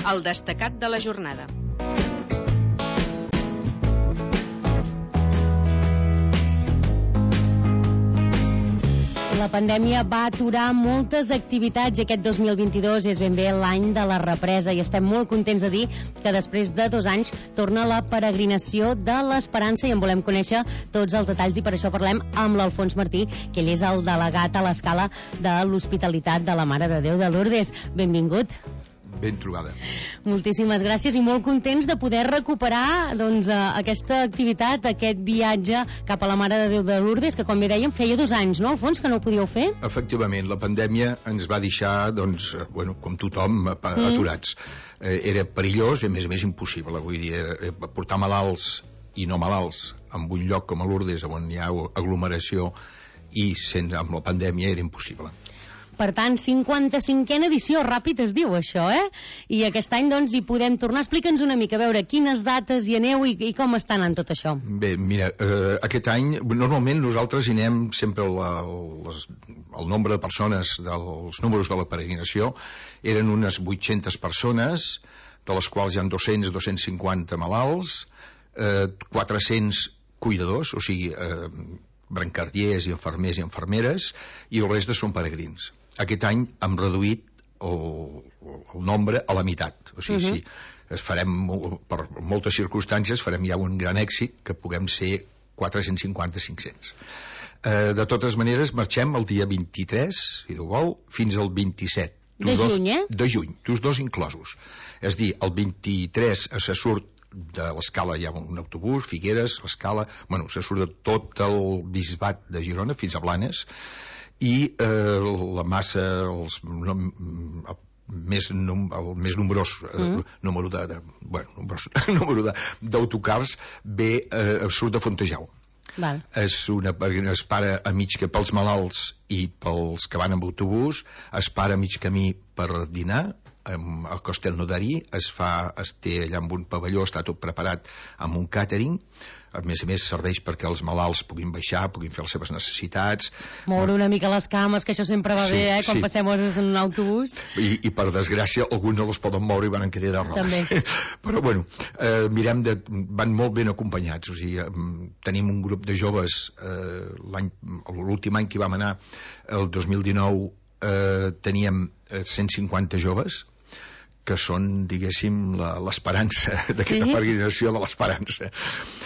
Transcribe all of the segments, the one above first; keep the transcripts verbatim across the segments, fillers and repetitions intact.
el destacat de la jornada. La pandèmia va aturar moltes activitats i aquest dos mil vint-i-dos és ben bé l'any de la represa i estem molt contents de dir que després de dos anys torna la peregrinació de l'Esperança i en volem conèixer tots els detalls i per això parlem amb l'Alfons Martí, que ell és el delegat a l'Escala de l'Hospitalitat de la Mare de Déu de Lourdes. Benvingut. Ben trobada. Moltíssimes gràcies i molt contents de poder recuperar doncs, aquesta activitat, aquest viatge cap a la Mare de Déu de Lourdes, que com bé dèiem feia dos anys, no, Alfons, que no ho podíeu fer? Efectivament, la pandèmia ens va deixar, doncs, bueno, com tothom, aturats. Mm. Eh, era perillós i a més a més impossible, vull dir, eh, portar malalts i no malalts en un lloc com a Lourdes, on hi ha aglomeració i sense, amb la pandèmia era impossible. Per tant, cinquanta-cinquena edició, ràpid es diu això, eh? I aquest any, doncs, hi podem tornar. Explica'ns una mica, a veure, quines dates hi aneu i, i com està anant tot això. Bé, mira, eh, aquest any, normalment nosaltres hi anem sempre, la, les, el nombre de persones, dels números de la peregrinació, eren unes vuit-centes persones, de les quals hi ha dos-cents a dos-cents cinquanta malalts, eh, quatre-cents cuidadors, o sigui, eh, brancardiers i infermers i infermeres, i el reste són peregrins. Aquest any hem reduït el, el nombre a la meitat. O sigui, uh-huh. sí, es farem, per moltes circumstàncies, farem ja un gran èxit que puguem ser quatre-cents cinquanta a cinc-cents. Eh, de totes maneres, marxem el dia vint-i-tres, si Déu vol, fins al vint-i-set. De dos, juny, eh? De juny, tots dos inclosos. És dir, el vint-i-tres se surt de l'Escala, hi ha un autobús, Figueres, l'Escala, bueno, se surt de tot el bisbat de Girona fins a Blanes, i eh, la massa, els, no, el, més, num, el més nombrós eh, mm. número de, de bueno, nombrós, número de, d'autocars ve, eh, surt de Fontejau. Val. És una, es para a mig que pels malalts i pels que van amb autobús, es para a mig camí per dinar al Castelnaudari, es fa, es té allà amb un pavelló, està tot preparat amb un càtering, a més a més serveix perquè els malalts puguin baixar, puguin fer les seves necessitats, moure una mica les cames, que això sempre va sí, bé, eh? Quan sí. passem hores en un autobús. I, i per desgràcia alguns no les poden moure i van en quedar de rodes. Però bueno, eh, mirem de, van molt ben acompanyats, o sigui, tenim un grup de joves, eh, l'any, l'últim any que vam anar, el dos mil dinou, eh, teníem cent cinquanta joves, que són, diguéssim, l'esperança d'aquesta sí? peregrinació de l'esperança.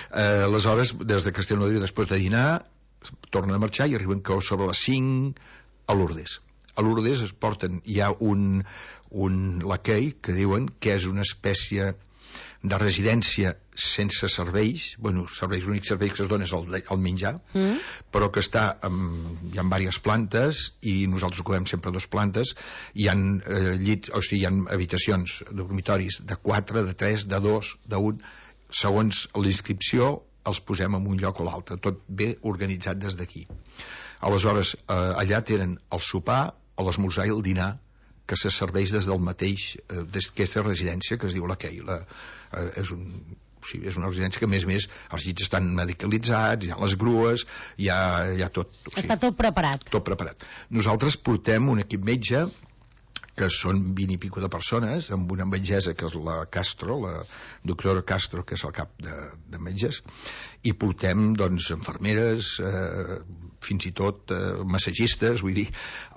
Eh, aleshores, des de Castellnaudari, després de dinar, tornen a marxar i arriben que sobre les cinc a Lourdes. A Lourdes es porten, hi ha un, un laquei que diuen que és una espècie de residència sense serveis, bueno, serveis, l'únic servei que es dona és el, el menjar, mm. però que està amb, hi ha diverses plantes i nosaltres ocupem sempre dues plantes, hi ha eh, llits, o sigui, hi ha habitacions dormitoris de quatre, de tres, de dos, d'un, segons l'inscripció els posem en un lloc o l'altre, tot bé organitzat des d'aquí. Aleshores, eh, allà tenen el sopar, l'esmorzar i el dinar, que se serveix des del mateix, eh, des d'aquesta residència que es diu la Kei. La, eh, és, un, o sigui, és una residència que, a més a més, els llits estan medicalitzats, hi ha les grues, hi ha, hi ha tot. O sigui, està tot preparat. Tot preparat. Nosaltres portem un equip metge, que són vint i pico de persones, amb una metgessa que és la Castro, la doctora Castro, que és el cap de, de metges, i portem, doncs, infermeres, eh, fins i tot eh, massagistes, vull dir,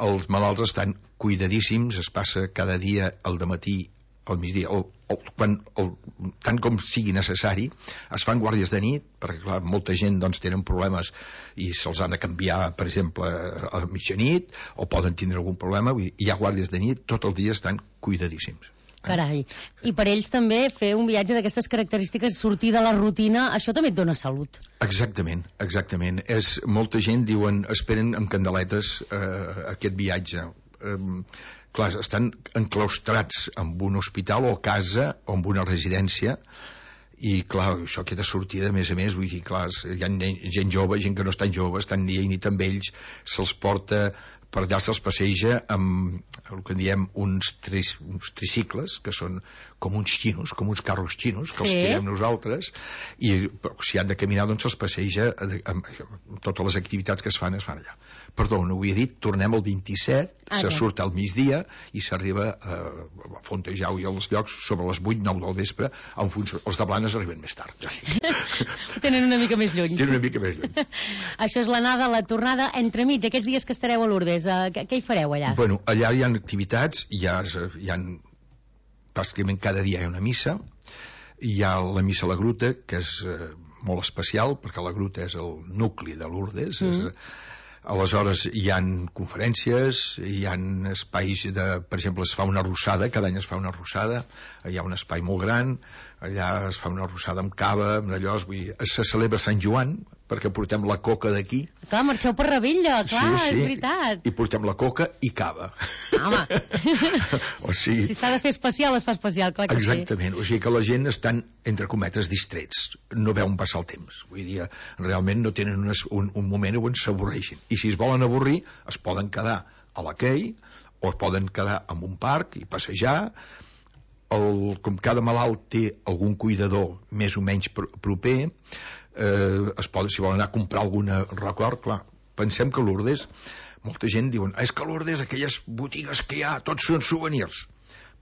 els malalts estan cuidadíssims, es passa cada dia al dematí, al migdia, el, el, quan, el, tant com sigui necessari, es fan guàrdies de nit, perquè clar, molta gent doncs, tenen problemes i se'ls han de canviar, per exemple, a la mitjanit, o poden tindre algun problema, vull dir, hi ha guàrdies de nit, tot el dia estan cuidadíssims. Carai, i per ells també fer un viatge d'aquestes característiques, sortir de la rutina, això també et dona salut. Exactament, exactament. És, molta gent diuen, esperen amb candeletes eh, aquest viatge. Eh, clar, estan enclaustrats en un hospital o casa o en una residència i clar, això aquesta sortida, a més a més, vull dir, clar, hi ha gent jove, gent que no és tan jove, estan dia i nit amb ells, se'ls porta per allà se'ls passeja amb el que en diem uns, tris, uns tricicles, que són com uns xinos, com uns carros xinos, que sí. els tirem nosaltres, i si han de caminar, doncs se'ls passeja amb, amb totes les activitats que es fan, es fan allà. Perdó, no ho havia dit, tornem el vint-i-set, ah, se surt al migdia i s'arriba a, a Fontejau i als llocs sobre les vuit, nou del vespre, en funció, els de Blanes arriben més tard. Tenen una mica més lluny. Tenen una mica més lluny. Això és l'anada, la tornada, entremig, aquests dies que estareu a Lourdes, eh, què, què hi fareu allà? Bueno, allà hi ha activitats, hi ha, hi ha pràcticament cada dia hi ha una missa, hi ha la missa a la gruta, que és eh, molt especial, perquè la gruta és el nucli de Lourdes, mm. és, aleshores hi ha conferències, hi ha espais de, per exemple, es fa una arrossada, cada any es fa una arrossada, hi ha un espai molt gran, allà es fa una arrossada amb cava, amb allò, vull dir, se celebra Sant Joan, perquè portem la coca d'aquí. Clar, marxeu per Ravella, clar, sí, sí, és veritat. I portem la coca i cava. Home, o sigui, si s'ha de fer especial, es fa especial, clar que exactament. sí. Exactament, o sigui que la gent estan, entre cometes, distrets, no veuen passar el temps. Vull dir, realment no tenen un, un, un moment on s'avorreixin. I si es volen avorrir, es poden quedar a la quei, o es poden quedar en un parc i passejar. El, com cada malalt té algun cuidador més o menys pr proper, eh, es poden, si volen anar a comprar alguna record, clar, pensem que a Lourdes molta gent diuen, és que a Lourdes aquelles botigues que hi ha, tots són souvenirs.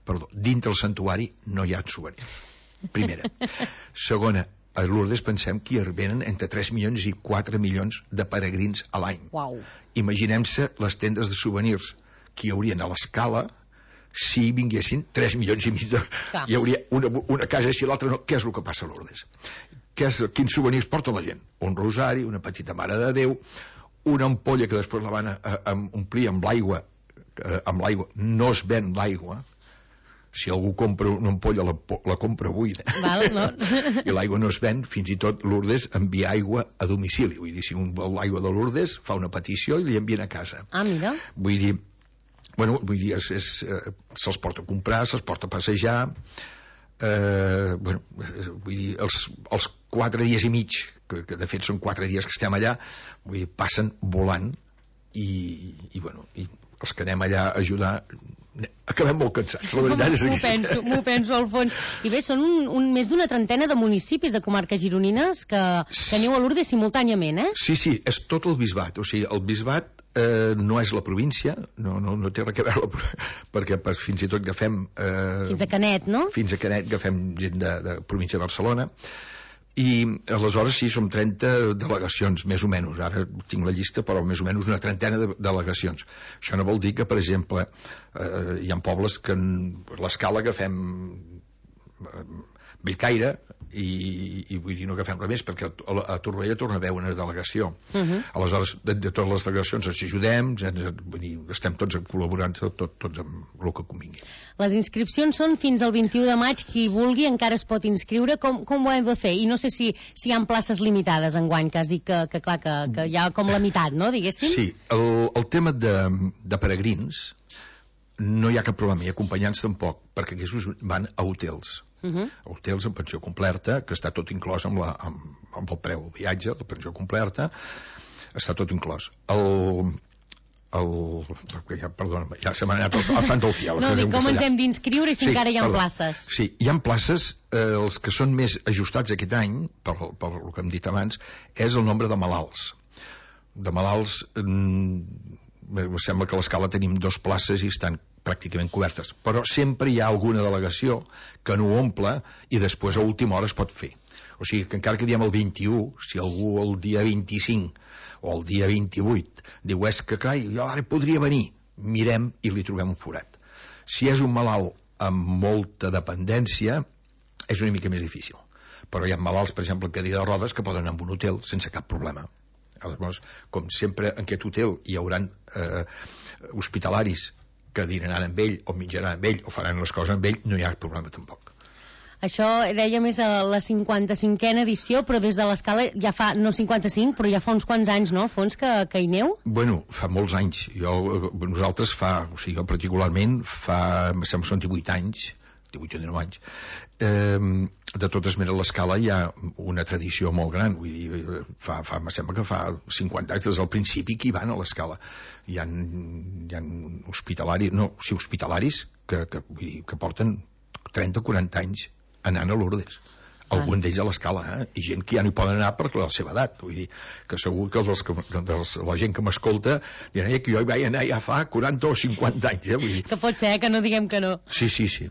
Perdó, dintre el santuari no hi ha souvenirs, primera. Segona, a Lourdes pensem que hi venen entre tres milions i quatre milions de peregrins a l'any. Wow. Imaginem-se les tendes de souvenirs que hi haurien a l'Escala si vinguessin tres milions i mig de... Cap. Hi hauria una, una casa així i l'altra no. Què és el que passa a Lourdes? Què és, quins souvenirs porta la gent? Un rosari, una petita Mare de Déu, una ampolla que després la van a, a, a omplir amb l'aigua, amb l'aigua no es ven l'aigua, si algú compra una ampolla la, la compra buida. Val, no. I l'aigua no es ven, fins i tot Lourdes envia aigua a domicili, vull dir, si un vol l'aigua de Lourdes fa una petició i li envien a casa. Ah, mira. Vull dir, bueno, vull dir, és, és, eh, se'ls porta a comprar, se'ls porta a passejar, eh, bueno, vull dir, els, els quatre dies i mig, que, que de fet són quatre dies que estem allà, vull dir, passen volant i, i bueno, i els que anem allà a ajudar acabem molt cansats, la veritat és aquesta. M'ho penso, m'ho penso al fons. I bé, són un, un, més d'una trentena de municipis de comarques gironines que, que aneu a Lourdes simultàniament, eh? Sí, sí, és tot el bisbat, o sigui, el bisbat eh, no és la província, no, no, no té res a veure, perquè per, fins i tot agafem... Eh, fins a Canet, no? Fins a Canet agafem gent de, de província de Barcelona, i aleshores sí, som trenta delegacions, més o menys, ara tinc la llista, però més o menys una trentena de delegacions. Això no vol dir que, per exemple, eh, hi ha pobles que l'Escala agafem eh, Bellcaire i, i vull dir, no agafem res més, perquè a, a Torroella torna a haver una delegació. Uh -huh. Aleshores, de, de totes les delegacions ens ajudem, ens, vull dir, estem tots col·laborant, tot, tots amb el que convingui. Les inscripcions són fins al vint-i-u de maig, qui vulgui encara es pot inscriure. Com, com ho hem de fer? I no sé si, si hi ha places limitades enguany, que has dit que, que clar, que, que hi ha com la meitat, no, diguéssim? Sí, el, el tema de, de peregrins no hi ha cap problema, i acompanyants tampoc, perquè aquests van a hotels. Uh -huh. Hotels amb pensió completa, que està tot inclòs amb, la, amb, amb el preu del viatge, la pensió completa, està tot inclòs. El... el... Ja, perdona, ja se m'ha anat al, al Sant del Fiel. No, dic com ens hem d'inscriure i si sí, encara hi ha perdó. places. Sí, hi ha places, eh, els que són més ajustats aquest any, per, per el que hem dit abans, és el nombre de malalts. De malalts, mm, sembla que a l'Escala tenim dos places i estan pràcticament cobertes, però sempre hi ha alguna delegació que no ho omple i després a última hora es pot fer. O sigui que encara que diem el vint-i-u, si algú el dia vint-i-cinc o el dia vint-i-vuit diu, és que carai, jo ara podria venir, mirem i li trobem un forat. Si és un malalt amb molta dependència, és una mica més difícil, però hi ha malalts, per exemple, en cadira de rodes, que poden anar a un hotel sense cap problema. Aleshores, com sempre en aquest hotel hi haurà eh, hospitalaris que dinaran amb ell, o menjaran amb ell, o faran les coses amb ell, no hi ha problema tampoc. Això deia més a la cinquanta-cinquena edició, però des de l'Escala ja fa, no cinquanta-cinc, però ja fa uns quants anys, no, Fons, que, que hi neu? Bueno, fa molts anys. Jo, nosaltres fa, o sigui, jo particularment, fa, em sembla, són divuit anys, divuit o dinou anys. Eh, de totes maneres, l'escala hi ha una tradició molt gran, vull dir, fa, fa, em sembla que fa cinquanta anys, des del principi que hi van a l'escala. Hi ha, hi ha hospitalaris, no, sí, hospitalaris que, que, vull dir, que porten trenta o quaranta anys anant a Lourdes. Algun d'ells a l'escala, eh? I gent que ja no hi poden anar per la seva edat. Vull dir, que segur que els, els, la gent que m'escolta diran eh, que jo hi vaig anar ja fa quaranta o cinquanta anys. Eh? Vull dir... Que pot ser, eh? Que no diguem que no. Sí, sí, sí.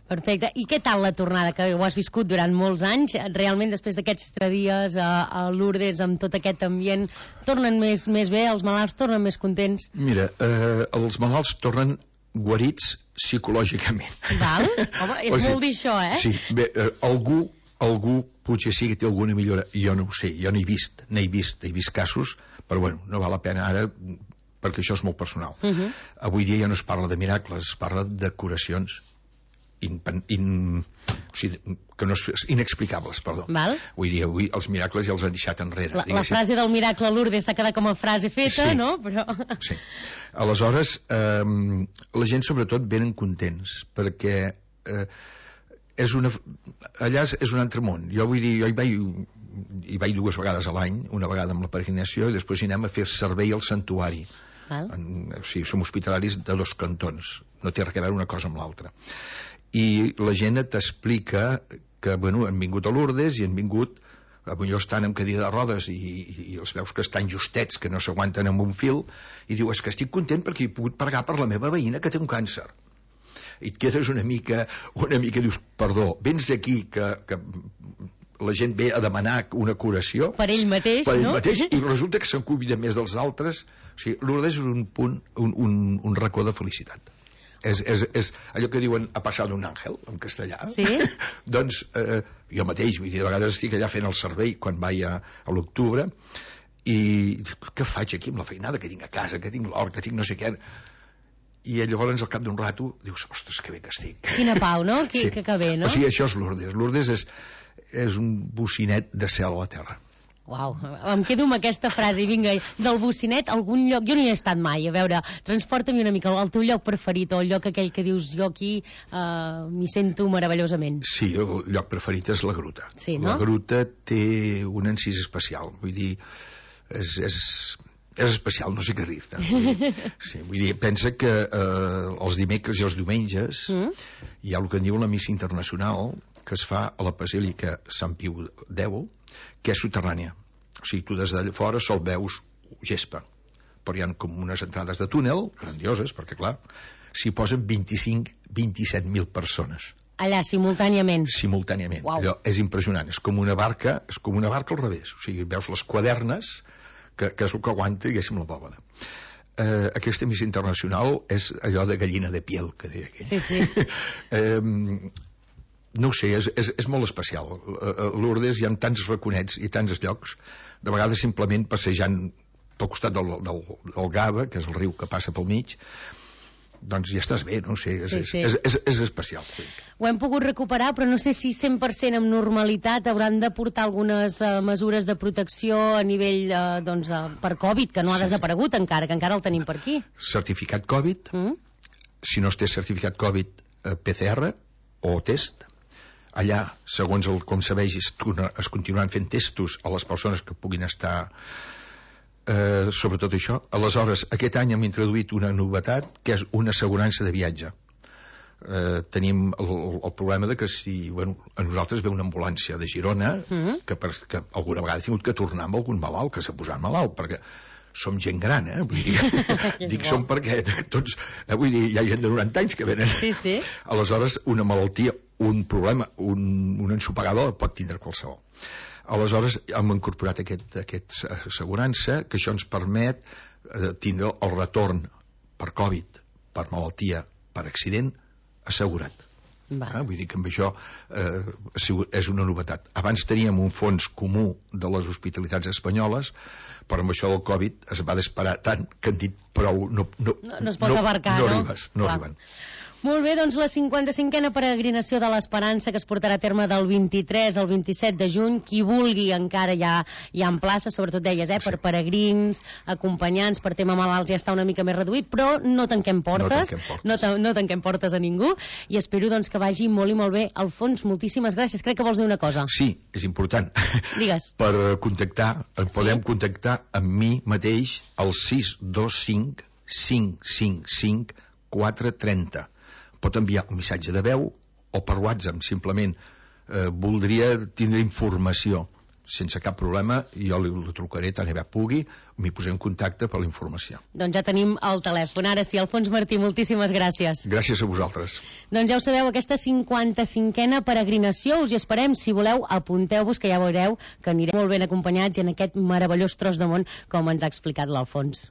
Perfecte. I què tal la tornada, que ho has viscut durant molts anys? Realment, després d'aquests tres dies a, a Lourdes, amb tot aquest ambient, tornen més, més bé? Els malalts tornen més contents? Mira, eh, els malalts tornen guarits psicològicament. Val? Home, és o sigui, molt dir això, eh? Sí, bé, eh, algú algú potser sí que té alguna millora, jo no ho sé, jo n'he vist, n'he vist, he vist casos, però bueno, no val la pena ara perquè això és molt personal. Uh -huh. Avui dia ja no es parla de miracles, es parla de curacions in, in, o sigui, que no és, inexplicables, perdó. Val. Avui dia avui els miracles ja els han deixat enrere. La, la frase del miracle a Lourdes s'ha quedat com a frase feta, sí, no? Però... Sí. Aleshores, eh, la gent sobretot venen contents, perquè eh, és una, allà és, és un altre món. Jo vull dir, jo hi vaig, hi vaig dues vegades a l'any, una vegada amb la peregrinació i després hi anem a fer servei al santuari. En, o sigui, som hospitalaris de dos cantons, no té res a veure una cosa amb l'altra. I la gent t'explica que, bueno, han vingut a Lourdes i han vingut, potser estan amb cadira de rodes i, i, i els veus que estan justets, que no s'aguanten amb un fil, i diu, és que estic content perquè he pogut pregar per la meva veïna que té un càncer. I et quedes una mica, una mica dius, perdó, vens aquí que, que la gent ve a demanar una curació per ell mateix, per ell no? mateix, i resulta que se'n cuida més dels altres. O sigui, Lourdes és un punt, un, un, un racó de felicitat. És, és, és allò que diuen ha passat un àngel en castellà. Sí? Doncs eh, jo mateix, vull dir, de vegades estic allà fent el servei quan vaig a, a l'octubre i què faig aquí amb la feinada que tinc a casa, que tinc l'hort, que tinc no sé què. I llavors al cap d'un rato dius, ostres, que bé que estic. Quina pau, no? Que, sí. que, que bé, no? O sigui, això és Lourdes. Lourdes és, és un bocinet de cel a la terra. Uau, em quedo amb aquesta frase. Vinga, del bocinet, algun lloc... Jo no hi he estat mai, a veure, transporta'm una mica el teu lloc preferit o el lloc aquell que dius jo aquí uh, m'hi sento meravellosament. Sí, el lloc preferit és la gruta. Sí, no? La gruta té un encís especial, vull dir, és... és és especial, no sé què dir-te. Sí, vull dir, pensa que eh, els dimecres i els diumenges mm. hi ha el que en diu la missa internacional que es fa a la Basílica Sant Piu X, que és soterrània. O sigui, tu des de fora sol veus gespa, però hi ha com unes entrades de túnel grandioses, perquè clar, s'hi posen vint-i-cinc a vint-i-set mil persones. Allà, simultàniament. Simultàniament. Uau. Allò és impressionant, és com una barca, és com una barca al revés. O sigui, veus les quadernes que, que és el que aguanta, diguéssim, la bòbada. Eh, aquesta missa internacional és allò de gallina de piel, que deia aquell. Sí, sí. eh, no ho sé, és, és, és molt especial. A Lourdes hi ha tants raconets i tants llocs, de vegades simplement passejant pel costat del, del, del Gava, que és el riu que passa pel mig, doncs ja estàs bé, no sé, és, sí, sí. És, és, és especial. Ho hem pogut recuperar, però no sé si cent per cent amb normalitat hauran de portar algunes uh, mesures de protecció a nivell uh, doncs, uh, per Covid, que no ha sí, desaparegut sí. encara, que encara el tenim per aquí. Certificat Covid, mm? Si no es té certificat Covid, uh, P C R o test. Allà, segons el, com se vegi, es continuaran fent testos a les persones que puguin estar... Eh, sobretot això. Aleshores, aquest any hem introduït una novetat que és una assegurança de viatge. Eh, tenim el, el problema de que si bueno, a nosaltres ve una ambulància de Girona mm-hmm. que, per, que alguna vegada ha tingut que tornar amb algun malalt que s'ha posat malalt, perquè som gent gran, eh? Vull dir, dic som perquè tots, eh, vull dir, hi ha gent de noranta anys que venen. Sí, sí. Aleshores, una malaltia, un problema, un, un ensopegador pot tindre qualsevol. Aleshores hem incorporat aquest, aquest assegurança que això ens permet eh, tindre el retorn per Covid, per malaltia, per accident assegurat. Ah, vull dir que amb això eh, és una novetat. Abans teníem un fons comú de les hospitalitats espanyoles, però amb això del Covid es va disparar tant que han dit prou, no, no, no, no es pot abarcar, no, no? Arribes, no arriben. Molt bé, doncs la cinquanta-cinquena peregrinació de l'Esperança, que es portarà a terme del vint-i-tres al vint-i-set de juny. Qui vulgui encara ja hi ha en plaça, sobretot deies, eh, per peregrins, acompanyants, per tema malalts ja està una mica més reduït, però no tanquem portes, no tanquem portes, no, ta no tanquem portes a ningú, i espero doncs que vagi molt i molt bé. Alfons, moltíssimes gràcies. Crec que vols dir una cosa. Sí, és important. Digues. Per contactar, sí? Podem contactar amb mi mateix al sis dos cinc cinc cinc cinc quatre trenta. Pot enviar un missatge de veu o per WhatsApp, simplement eh, voldria tindre informació. Sense cap problema, jo li, li trucaré tant aviat pugui, m'hi posem en contacte per la informació. Doncs ja tenim el telèfon. Ara sí, Alfons Martí, moltíssimes gràcies. Gràcies a vosaltres. Doncs ja ho sabeu, aquesta cinquanta-cinquena peregrinació, us hi esperem. Si voleu, apunteu-vos, que ja veureu que anirem molt ben acompanyats i en aquest meravellós tros de món, com ens ha explicat l'Alfons.